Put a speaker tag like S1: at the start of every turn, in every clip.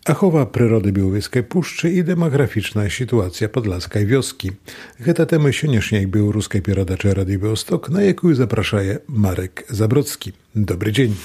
S1: Ахова прыроды Белавежскай пушчы і дэмаграфічная сітуацыя падласкай вёскі. Гэта тэма сённяшняй беларускай перадачы Радыё Беласток, на якую запрашае Марек Забродскі. Добры дзень.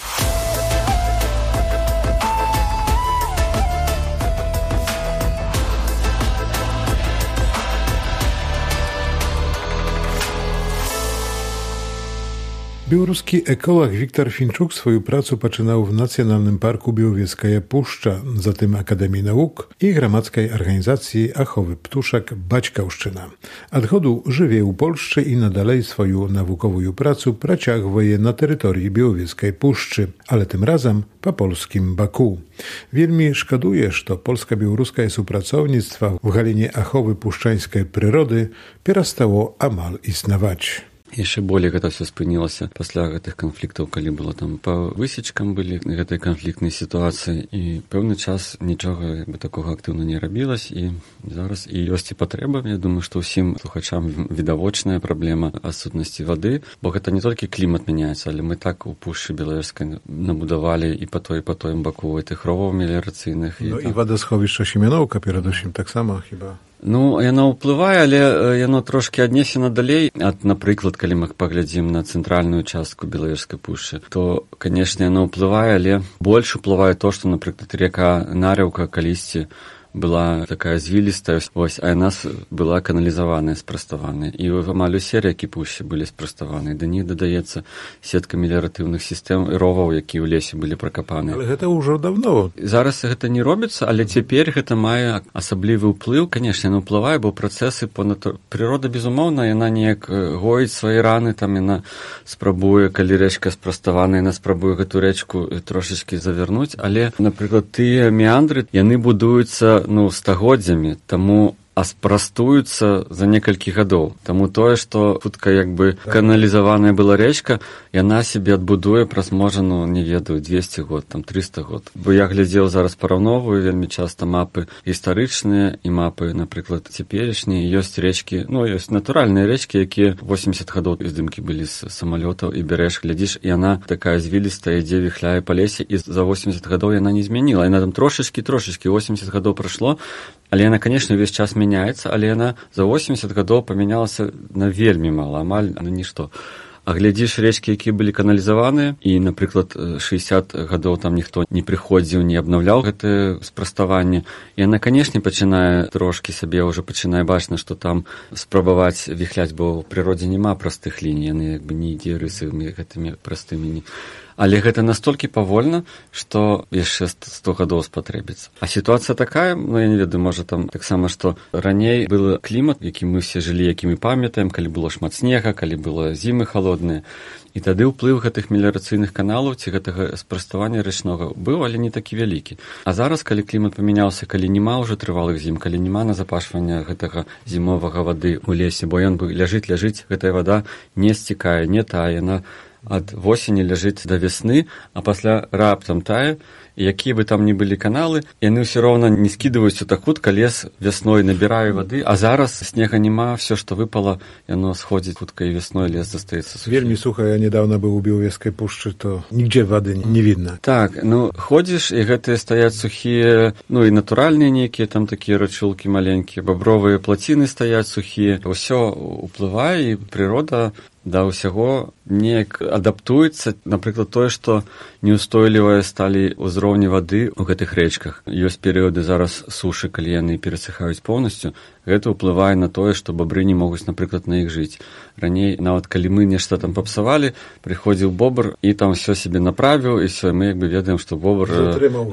S1: Беларускі эколог Віктор Фінчук сваю працу пачынаў в Нацыянальным парку Белавежская пушча, затым Акадэміі навук і грамадскай арганізацыі аховы птушак Бацькаўшчына. Ад году жыве ў Польшчы і надалей сваю навуковую працу працягвае на тэрыторыі Белавежскай пушчы, але тым разам па польскім баку. Вельмі шкадуе, што польска-беларускае супрацоўніцтва ў галіне аховы пушчанскай прыроды перастало амаль існаваць.
S2: Яшчэ болей гэта ўсё спынілася пасля гэтых канфліктаў, калі было там па высечкам былі гэтай канфліктнай сітуацыі, і пэўны час нічога такога актыўна не рабілася, і зараз і ёсць і патрэба. Я думаю, што ўсім слухачам відавочная праблема адсутнасці вады, бо гэта не толькі клімат мяняецца, але мы так у пушчы Белавежскай набудавалі і па тоім баку гэтых роваў меліярацыйных.
S1: І вадасховішча Семеноўка перадусім таксама хіба?
S2: Яно ўплывае, але яно трошкі аднесена далей. Напрыклад, калі мы паглядзім на цэнтральную частку Белавежскай пушчы, то, канешне, яно ўплывае, але больш уплывае то, што, напрыклад, река Нарыўка калісьці была такая звілістая, а яна была каналізаваная, спраставаная. І амаль усе рэкі пушчы былі спраставаныя. Да них дадаецца сетка меліяратыўных сістэм і роваў, якія ў лесе былі пракапаныя.
S1: Але гэта ўжо даўно.
S2: Зараз гэта не робіцца, але цяпер гэта мае асаблівы ўплыў. Канешне, яно ўплывае, бо працэсы прырода, безумоўна, яна неяк гоіць свае раны, там яна спрабуе, калі рэчка спраставаная, яна спрабуе гэту рэчку трошачкі завярнуць, але, напрыклад, тыя меандры, яны будуюцца стагоддзямі, таму спрастуюцца за некалькі гадоў. Таму тое, што хутка як бы каналізаваная была рэчка, яна сябе адбудуе праз, можа, не ведаю, 200 год, там 300 год. Бо я глядзеў зараз параўноўваю вельмі часта мапы гістарычныя і мапы, напрыклад, цяперашнія. Ёсць рэчкі, ёсць натуральныя рэчкі, якія 80 гадоў здымкі былі з самалётаў, і бярэш, глядзіш, і яна такая звілістая, ідзе, віхляе па лесе, і за 80 гадоў яна не змяніла. Яна там трошачкі, 80 гадоў прайшло, але яна, канешне, увесь час мяняецца, але яна за 80 гадоў памянялася на вельмі мала, амаль на нішто. А глядзіш рэчкі, якія былі каналізаваныя, і, напрыклад, 60 гадоў там ніхто не прыходзіў, не абнаўляў гэтае спраставанне, і яна, канешне, пачынае трошкі сабе ўжо пачынае бачна, што там спрабаваць віхляць, бо ў прыродзе няма простых ліній, яны як бы не ідзе рысамі гэтымі простымі. Але гэта настолькі павольна, што яшчэ 100 гадоў спатрэбіцца. А сітуацыя такая, я не ведаю, можа там таксама, што раней был клімат, якім мы все жылі, які мы памятаем, калі было шмат снега, калі было зімы халодныя. І тады ўплыў гэтых меліярацыйных каналаў ці гэтага спраставання рэчнога быў, але не такі вялікі. А зараз, калі клімат памяняўся, калі няма ўжо трывалых зім, калі няма назапашвання гэтага зімовага вады ў лесе, бо ён ляжыць, гэтая вада не сцікае, не тае, яна ад восені ляжыць да вясны, а пасля раптам тае, і якія бы там ні былі каналы, яны ўсё роўна не скідваюцца так хутка, лес вясной набірае вады, а зараз снега няма, все, што выпало, яно сходзіць хутка, і вясной лес застаецца сухі.
S1: Вельмі суха, я недавно быў у Белавежскай пушчы, то нігдзе вады не видно.
S2: Так, ходзіш, і гэтыя стаяць сухія, і натуральныя нейкія, там такія рачулкі маленькія, бабровыя плаціны стаяць сухія. Усё уплывае, і прырода да ўсяго неяк адаптуецца. Напрыклад, тое, што неустойлівыя сталі ўзроўні вады ў гэтых рэчках. Ёсць перыяды зараз сушы, калі яны перасыхаюць поўнасцю. Гэта ўплывае на тое, што бабры не могуць, напрыклад, на іх жыць. Раней, нават калі мы нешта там папсавалі, прыходзіў бобр і там все сябе направіў, і все, мы як бы ведаем, што бобр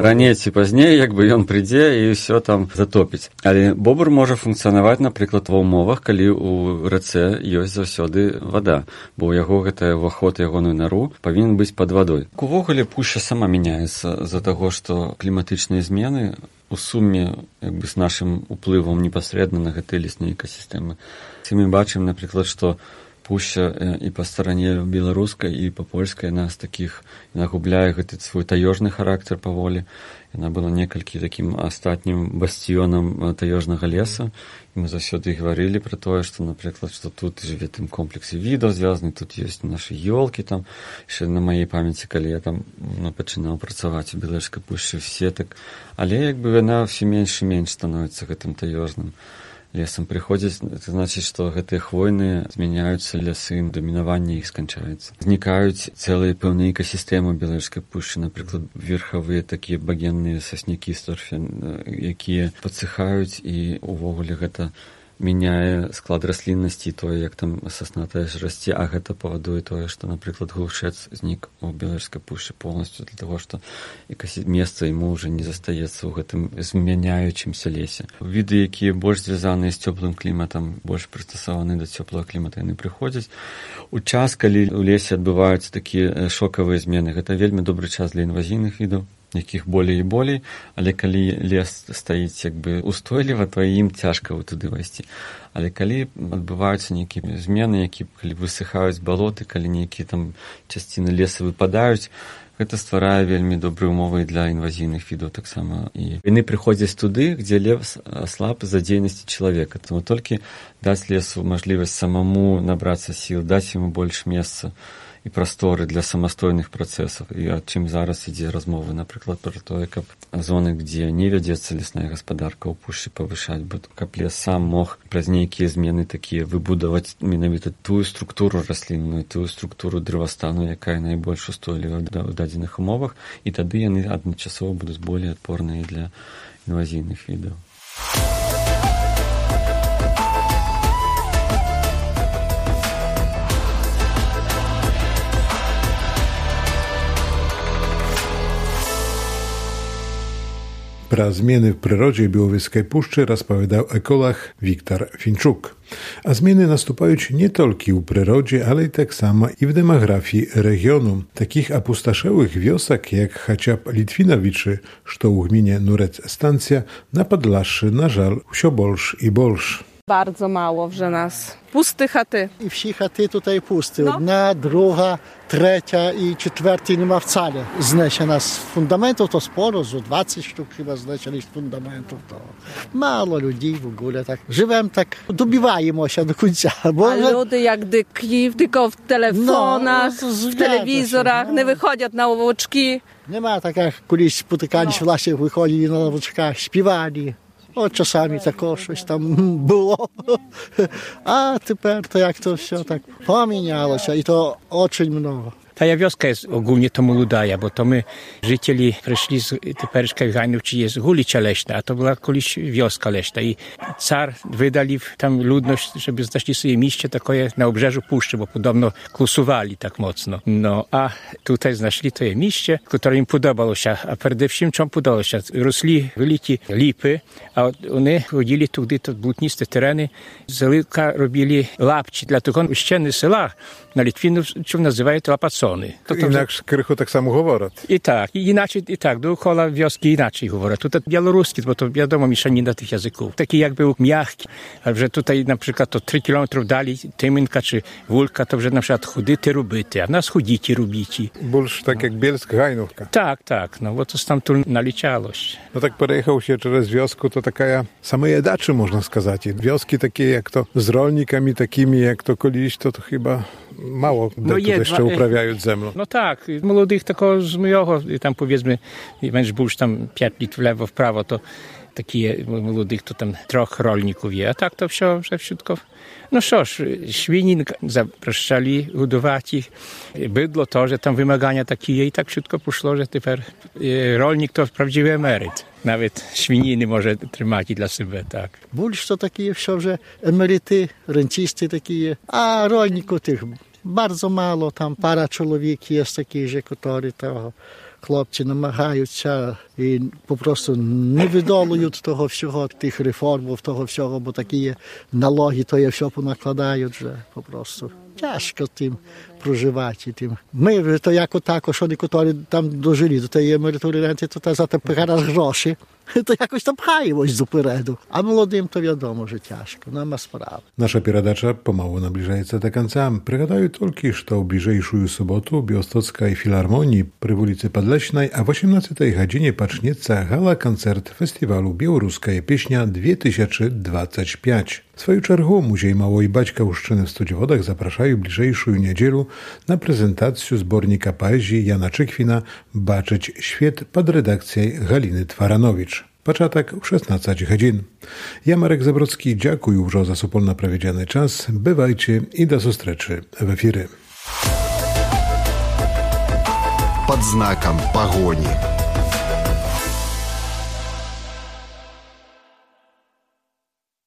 S2: раней ці пазней, як бы ён прыйдзе і все там затопіць. Але бобр можа функцыянаваць, напрыклад, ва ўмовах, калі ў рацэ ёсць заўсёды вада, бо ў яго гэта ўваход, ягоную нару павінен быць пад вадой. Увогуле пушча сама мяняецца з-за таго, што кліматычныя змены у суме як бы з нашым уплывам непасрэдна на гэтыя лесныя экасістэмы. Мы бачым, напрыклад, што пушча і па старане беларускай, і па польскай, яна з такіх, яна губляе гэты свой таежны характар паволі. Яна была некалькі такім астатнім басціёнам таежнага леса. І мы заўсёды гаварылі пра тое, што, напрыклад, што тут жыве тым комплексе відаў звязаны, тут ёсць нашы ёлкі там. Яшчэ на маёй памяці, калі я там пачынаў працаваць у Беларускай пушчы сетак. Але як бы яна ўсё менш і менш становіцца гэтым таежным лесам прыходзіць, это значыць, што гэтыя хвойныя змяняюцца лясы, дамінаванне іх сканчаецца. Знікаюць цэлыя пэўныя экасістэмы беларускай пушчы, напрыклад, верхавыя такія багенныя саснякі сторфен, якія падсыхаюць, і увогуле гэта мяняе склад расліннасці, тое, як там сасна тая ж расце, а гэта павадуе тое, што, напрыклад, глушэц знік у беларускай пушчы полностью для таго, што месца яму ўжо не застаецца ў гэтым змяняючымся лесе. Віды, якія больш звязаныя з цёплым кліматам, больш прыстасаваны да цёплага клімата, яны прыходзяць. У час, калі ў лесе адбываюцца такія шокавыя змены, гэта вельмі добры час для інвазійных відаў, якіх болей і болей, але калі лес стаіць як бы устойліва, то ім цяжка туды вайсці. Але калі адбываюцца нейкія змены, калі высыхаюць балоты, калі нейкія там частіны леса выпадаюць, гэта стварае вельмі добрыя ўмовы для інвазійных відаў таксама. І яны прыходзяць туды, дзе лес слаб з-за дзейнасці чалавека. Таму толькі даць лесу мажлівасць самому набрацца сіл, даць яму больш месца і прасторы для самастойных працэсаў. І аб чым зараз ідзе размовы, напрыклад, пра тое, каб зоны, дзе не вядзецца лесная гаспадарка, ў пушчы павышаць, каб лес сам мог праз нейкія змены такія выбудаваць менавіта тую структуру раслінную, тую структуру дрэвастану, якая найбольш устойлівая ў дадзеных умовах, і тады яны адначасова будуць болей адпорныя для інвазійных відаў.
S1: Про змены в прироdzie Białowieskiej Puszczy rozpowiadał ekolog Wiktor Finczuk. A zmiany наступають nie tylko u przyrodzie, ale i tak samo i w demografii regionu. Takich opustoszełych wiosek jak chociaż Litwinowiczy, co u gminie Nurec Stancja, na Podlaszy, na żal, wsio bolsz i bolsz.
S3: Bardzo mało wrze nas. Pusty chaty.
S4: I wsi chaty tutaj pusty. Jedna, druga, trzecia i czwartej nie ma wcale. Zniesiona z fundamentów to sporo, z 20 sztuk chyba zniesionych z fundamentów. To mało ludzi w ogóle tak. Żywem tak dobivajmy się do końca.
S3: Bo... A ludy jak dyki, tylko w telefonach, w telewizorach, nie wychodzą na łowoczki.
S4: Nie ma tak jak kiedyś spotykali się w lasie, wychodzili na łowoczkach, śpiewali. От часами також щось там було. А тепер то як то все так помінялося, і то дуже багато.
S5: Ta wioska jest ogólnie to młoda, bo to my, życieli, przyszli z teperyczkich Hajnów, czy jest Gulicza Leśna, a to była kiedyś wioska leśna. I car wydali tam ludność, żeby znaleźli sobie miejsce takie na obrzeżu puszczy, bo podobno klusowali tak mocno. No, a tutaj znaleźli to miejsce, które im podobało się, a przede wszystkim czemu podobało się. Rosli wielkie lipy, a oni chodzili tudy, to błotniste tereny, z lipka robili lapci, dlatego ściany sela na Litwinów, co nazywają to lapacony.
S1: To inaksz krychu tak samo говорять.
S5: I tak, i inaczej, i tak, dookoła wioski inaczej говорять. Tutaj białoruski, bo to wiadomo mieszanina tych języków. Taki jakby miękki, że tutaj na przykład to 3 kilometrów dalej Tymynka czy Wólka, to że na przykład chudyty rubyty, a nas chudzici rubici.
S1: Больш tak jak Bielsk Hajnówka.
S5: Tak, no bo to tam tu naliczało się.
S1: No tak pojechał się przez wiosku, to taka same jedaczy można skazać. Wioski takie jak to z rolnikami takimi jak to kiedyś, to chyba mało no jeszcze uprawiają zemlą.
S5: No tak, młodych tylko z mojego, tam powiedzmy, będzie już tam 5 lit w lewo, w prawo, to takie młodych to tam trochę rolników je, a tak to wszystko. No cóż, świnin zapraszali hodować ich, bydło to, że tam wymagania takie i tak wszystko poszło, że teraz rolnik to prawdziwy emeryt. Nawet świniny może trzymać dla siebie, tak.
S4: Больше to takie все, że emeryty, rencisty takie, a rolników tych bardzo mało, tam para człowiek jest takich, że którzy to хлопці намагаються і попросту не видолують того всього, тих реформ, того всього, бо такі налоги, то є все понакладають вже попросту. Тяжко тим проживати. Тим. Ми, то як отак, що некоторі там дожили до тієї емеритури ренти, то за те гроші, то якось там пхаємось допереду. А молодим то відомо, що тяжко, нема справи.
S1: Наша передача pomału nabliżaється do końca. Пригадаю тільки, що в ближайшую суботу в Białostockiej Filharmonii przy ulicy Podleśnej a w 18 godzinie pacznieca gala-koncert festiwalu Białoruska Pieśnia 2025. W swoją czergu Muzej Małej Baćkauszczyny w Studziewodach zapraszają bliżejszą niedzielu na prezentację zbornika poezji Jana Czykwina Baczyć świat pod redakcją Haliny Twaranowicz. Początek w 16 godzin. Ja, Marek Zabrocki, dziękuję już za supolna prawiedziany czas. Bywajcie i do zustreczy w efiry.
S6: Pod znakiem pogoni.